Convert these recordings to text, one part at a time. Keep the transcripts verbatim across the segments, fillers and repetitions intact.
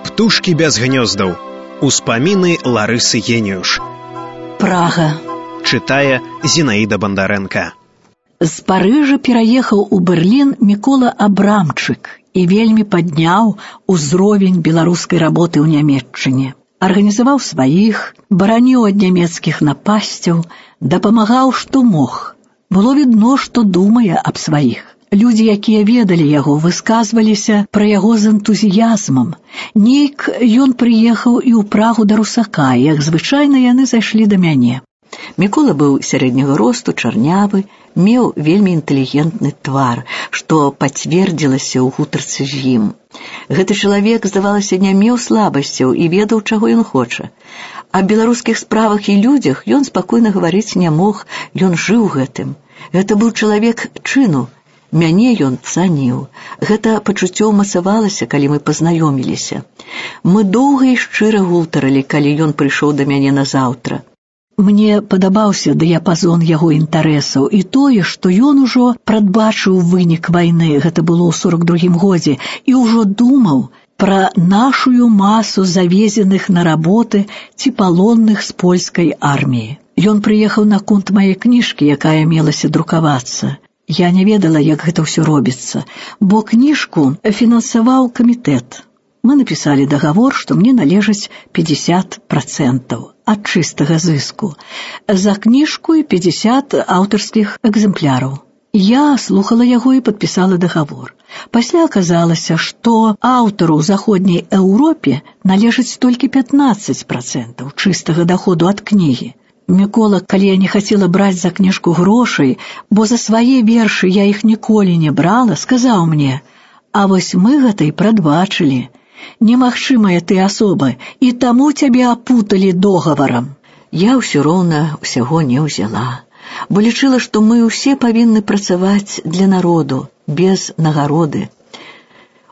Птушкі без гнёздаў. Успаміны Ларысы Геніюш. Прага. Чытае Зінаіда Бандарэнка. З Парыжа пераехаў у Берлін Мікола Абрамчык і вельмі падняў узровень беларускай работы ў Нямецчыне. Арганізаваў сваіх, бараніў ад нямецкіх напасцяў, дапамагаў, што мог. Было відно, што думае аб сваіх. Людзі, якія ведалі яго, высказваліся пра яго з энтузіязмам. Нейк ён прыехаў і ў Прагу да Русака, і, як звычайна, яны зайшлі да мяне. Мікола быў сярэдняга росту, чарнявы, меў вельмі інтэлігентны твар, што пацвердзілася ў гутарцы з ім. Гэты чалавек, здавалася, не меў слабасцяў і ведаў, чаго ён хоча. Аб беларускіх справах і людзях ён спакойна гаварыць не мог, ён жыў гэтым. Гэта быў чалавек чыну. Мяне ён цаніў. Гэта пачуццё ўмацавалася, калі мы пазнаёміліся. Мы доўга і шчыра гутарылі, калі ён прыйшоў да мяне назаўтра. Мне падабаўся дыяпазон яго інтарэсаў і тое, што ён ужо прадбачыў вынік вайны, гэта было ў сорак другім годзе, і ўжо думаў пра нашую масу завезеных на работы ці палонных з польскай арміі. Ён прыехаў наконт мае кніжкі, якая мелася друкавацца. Я не ведала, як гэта ўсё робіцца, бо кніжку фінансаваў камітэт. Мы напісалі дагавор, што мне належыць пятьдесят процентаў ад чыстага зыску. За кніжку і пятьдесят аўтарскіх экземпляраў. Я слухала яго і падпісала дагавор. Пасля аказалася, што аўтару ў заходняй Еўропе належыць толькі пятнадцать процентаў чыстага даходу ад кнігі. Мікола, калі я не хацела браць за кніжку грошай, бо за свае вершы я іх ніколі не брала, сказаў мне: «А вось мы гэта і прадбачылі. Немагчымая ты асоба, і таму цябе апуталі договарам». Я ўсё роўна ўсяго не ўзяла, бо лічыла, што мы ўсе павінны працаваць для народу, без нагароды.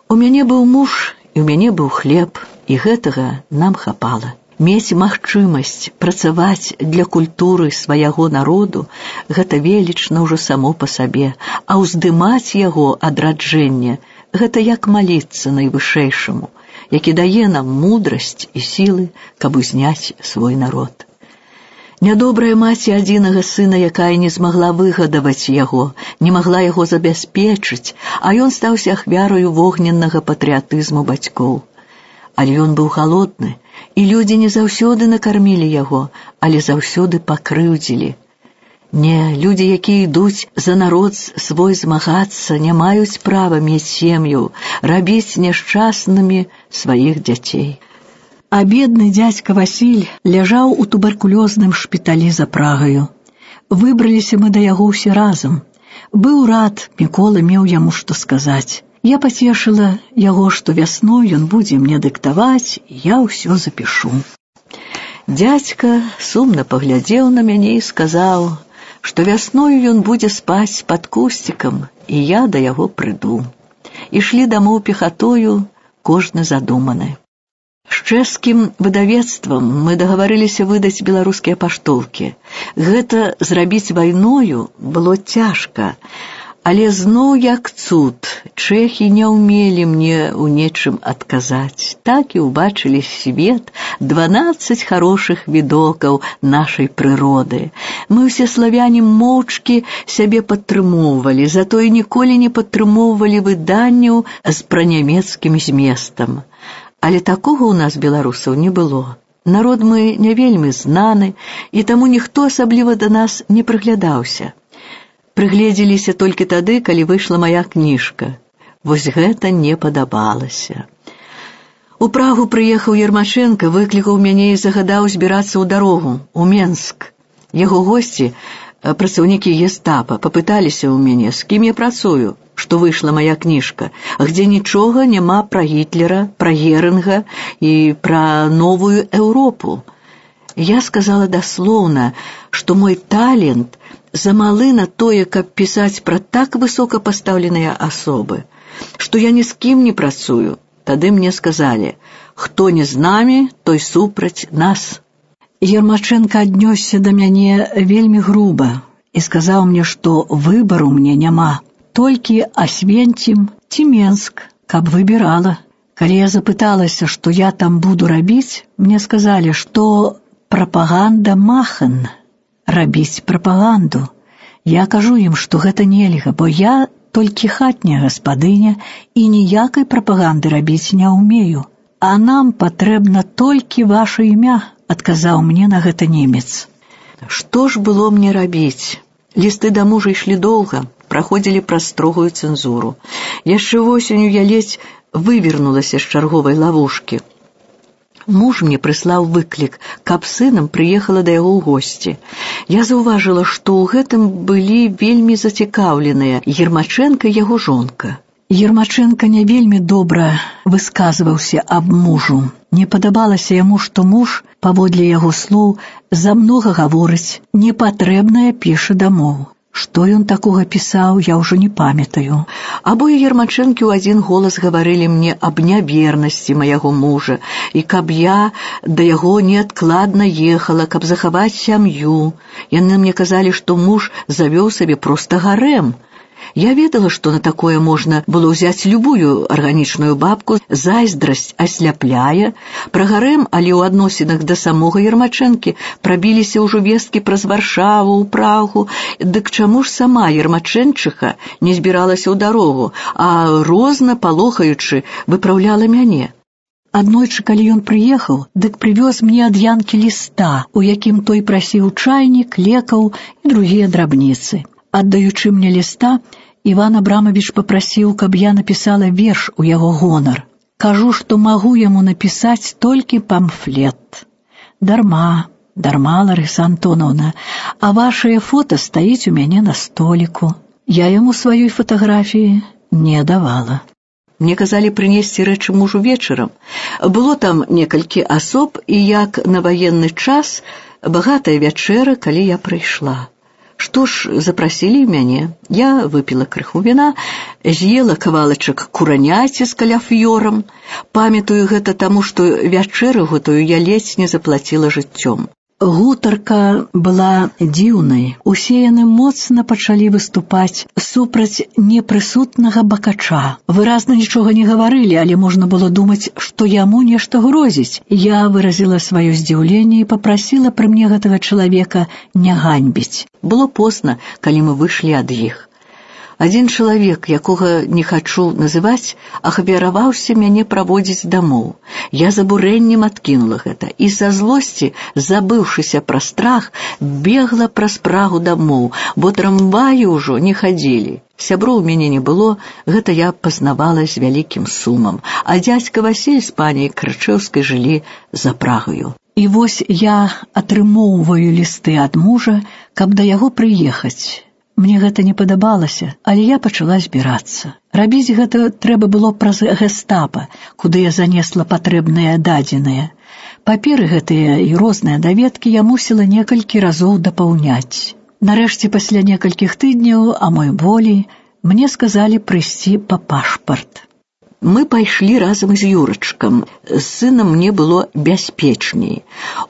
У мяне быў муж, і ў мяне быў хлеб, і гэтага нам хапала. Мець магчымасць працаваць для культуры свайго народу – гэта велічна ўжо само па сабе, а ўздымаць яго адраджэнне – гэта як маліцца найвышэйшаму, які дае нам мудрасць і сілы, каб узняць свой народ. Нядобрая маці адзінага сына, якая не змагла выгадаваць яго, не магла яго забяспечыць, а ён стаўся ахвярою вогненнага патрыятызму бацькоў. Але ён быў галодны, і людзі не заўсёды накармілі яго, але заўсёды пакрыўдзілі. Не, людзі, якія ідуць за народ свой змагацца, не маюць права мець сем'ю, рабіць няшчаснымі сваіх дзяцей. А бедны дзядзька Васіль ляжаў у туберкулёзным шпіталі за Прагаю. Выбраліся мы да яго ўсе разам. Быў рад, Мікола меў яму што сказаць. Я пацешыла яго, што вясной ён будзе мне дыктаваць, і я ўсё запішу. Дзядзька сумна паглядзеў на мяне і сказаў, што вясною ён будзе спаць пад кусцікам, і я да яго прыйду. Ішлі дамоў пехатою, кожны задуманы. З чэшскім выдавецтвам мы дагаварыліся выдаць беларускія паштоўкі. Гэта зрабіць вайною было цяжка, але зноў як цуд, чэхі не ўмелі мне ў нечым адказаць. Так і ўбачылі свет дванаццаць харошых відокаў нашай прыроды. Мы ўсе славяне моўчкі сябе падтрымоўвалі, затое ніколі не падтрымоўвалі выданняў з пранямецкім зместам. Але такога ў нас, беларусаў, не было. Народ мы не вельмі знаны, і таму ніхто асабліва да нас не прыглядаўся. Прыгледзеліся толькі тады, калі выйшла мая кніжка. Вось гэта не падабалася. У Прагу прыехаў Ермачэнка, выклікаў мяне і загадаў збірацца ў дарогу, у Менск. Яго госці, працаўнікі гестапа, папыталіся ў мяне, з кім я працую, што выйшла мая кніжка, где нічога няма пра Гітлера, пра Герынга і пра новую Еўропу. Я сказала даслоўна, што мой талент замалы на тое, каб пісаць пра так высокапастаўленыя асобы, што я ні з кім не працую. Тады мне сказалі: «Хто не з намі, той супраць нас». Ермачэнка аднёсся да мяне вельмі груба і сказаў мне, што выбару мне няма, толькі Асвенцім ці Менск, каб выбірала. Калі я запыталася, што я там буду рабіць, мне сказалі, што прапаганда махан, рабіць прапаганду. Я кажу ім, што гэта нельга, бо я толькі хатняя гаспадыня і ніякай прапаганды рабіць не ўмею. А нам патрэбна толькі ваша імя, адказаў мне на гэта немец. Што ж было мне рабіць? Лісты да мужа ішлі доўга, праходзілі праз строгую цэнзуру. Яшчэ восенню я ледзь вывернулася з чарговай лавушкі. Муж мне прыслаў выклік, каб сынам прыехала да яго ў госці. Я заўважыла, што ў гэтым былі вельмі зацікаўленыя Ермачэнка і яго жонка. Ермачэнка не вельмі добра высказваўся аб мужу. Не падабалася яму, што муж, паводле яго слоў, замнога гаворыць, непатрэбнае піша дамоў. Што ён такога пісаў, я ўжо не памятаю. Абое Ермачэнкі ў адзін голас гаварылі мне аб нявернасці майго мужа, і каб я да яго неадкладна ехала, каб захаваць сям'ю. Яны мне казалі, што муж завёў сабе проста гарэм. Я ведала, што на такое можна было ўзяць любую арганічную бабку, зайздрасць асляпляе. Пра гарэм, але ў адносінах да самога Ермачэнкі прабіліся ўжо весткі праз Варшаву, ў Прагу. Дык чаму ж сама Ермачэнчыха не збіралася ў дарогу, а розна палохаючы выпраўляла мяне? Аднойчы, калі ён прыехаў, дык прывёз мне ад Янкі ліста, у якім той прасіў чайнік, лекаў і другія драбніцы. Аддаючы мне ліста, Іван Абрамавіч папрасіў, каб я напісала верш у яго гонар. Кажу, што магу яму напісаць толькі памфлет. Дарма, дарма, Ларыса Антоновна, а вашае фота стаіць у мяне на століку. Я яму сваёй фатаграфіі не давала. Мне казалі прынесці рэчы мужу вечарам. Было там некалькі асоб, і як на ваенны час багатая вячэра, калі я прыйшла. Што ж, запрасілі мяне. Я выпіла крыху віна, з'ела кавалачак кураняці з каляфьёрам. Памятаю гэта таму, што вячэру гэтую я ледзь не заплаціла жыццём. Гутарка была дзіўнай. Усе яны моцна пачалі выступаць супраць непрысутнага бакача. Выразна нічога не гаварылі, але можна было думаць, што яму нешта грозіць. Я выразіла сваё здзіўленне і папрасіла пры мне гэтага чалавека не ганьбіць. Было позна, калі мы выйшлі ад іх. Адзін чалавек, якога не хачу называць, ахвяраваўся мяне праводзіць дамоў. Я з абурэннем адкінула гэта і са злосці, забыўшыся пра страх, бегла праз Прагу дамоў, бо трамваі ўжо не хадзілі. Сяброў у мяне не было, гэта я пазнавала з вялікім сумам, а дзядзька Васіль з паняй Крычэўскай жылі за Прагаю. І вось я атрымоўваю лісты ад мужа, каб да яго прыехаць. Мне гэта не падабалася, але я пачала збірацца. Рабіць гэта трэба было праз гэстапа, куды я занесла патрэбныя дадзеныя. Паперы гэтыя і розныя даведкі я мусіла некалькі разоў дапаўняць. Нарэшце, пасля некалькіх тыдняў, а мой волі, мне сказалі прыйсці па пашпарт. Мы пайшлі разам з Юрачкам. З сынам мне было бяспечней.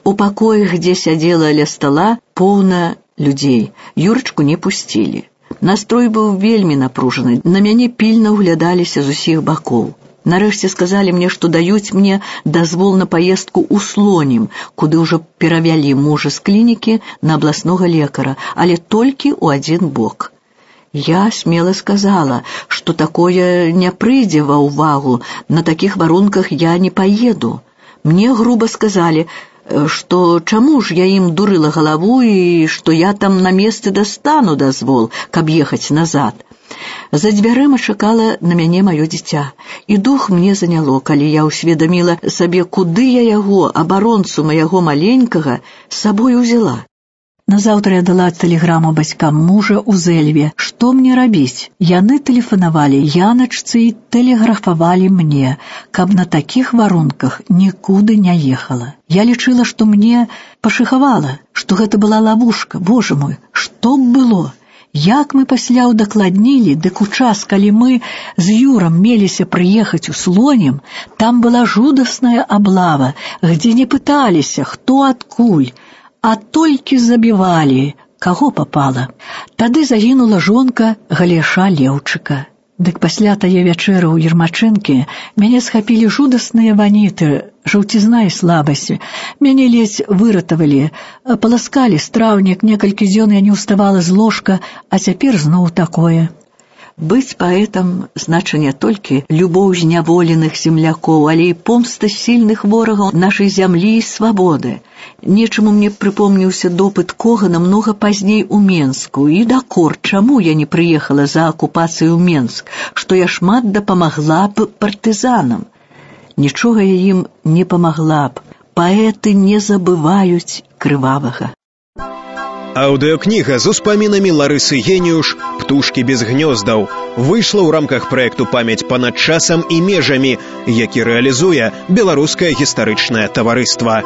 У пакоях, дзе сядзела ля стала, поўна людзей. Юрачку не пусцілі. Настрой быў вельмі напружаны. На мяне пільна ўглядаліся з усіх бакоў. Нарэшце сказалі мне, што даюць мне дазвол на паездку ў Слонім, куды ўжо перавялі мужа з клінікі на абласнога лекара, але толькі ў адзін бок. Я смела сказала, што такое не прыйдзе ва ўвагу, на такіх варунках я не паеду. Мне груба сказалі, што чаму ж я ім дурыла галаву і што я там на месцы дастану дазвол, каб ехаць назад. За дзвярыма чакала на мяне маё дзіця, і дух мне заняло, калі я ўсведаміла сабе, куды я яго, абаронцу маяго маленькага, з сабой узяла. Назаўтра я дала тэлеграму бацькам мужа ў Зэльве. Што мне рабіць? Яны тэлефанавалі Яначцы і тэлеграфавалі мне, каб на такіх варунках нікуды не ехала. Я лічыла, што мне пашыхавала, што гэта была лавушка. Боже мой, што б было? Як мы пасля ўдакладнілі, дык у час, калі мы з Юрам меліся прыехаць у Слонім, там была жудасная аблава, где не пыталіся, хто адкуль, а толькі забівалі, каго папала. Тады загінула жонка Галеша Леўчыка. Дык пасля тае вячэры ў Ермачэнкі мяне схапілі жудасныя ваніты, жаўцізна і слабасць. Мяне ледзь выратавалі, паласкалі страўнік, некалькі дзён я не ўставала з ложка, а цяпер зноў такое. Быць паэтам значыць не толькі любоў зняволеных землякоў, але і помста сільных ворагаў нашай зямлі і свабоды. Нечаму мне прыпомніўся допыт Когана многа пазней у Менску, і дакор, чаму я не прыехала за акупацыю ў Менск, што я шмат дапамагла б партызанам. Нічога я ім не памагла б. Паэты не забываюць крывавага. Аўдыокніга з успамінамі Ларысы Геніуш «Птушкі без гнёздаў» выйшла ў рамках праекту «Памяць панад часам і межамі», які рэалізуе Беларускае гістарычнае таварыства.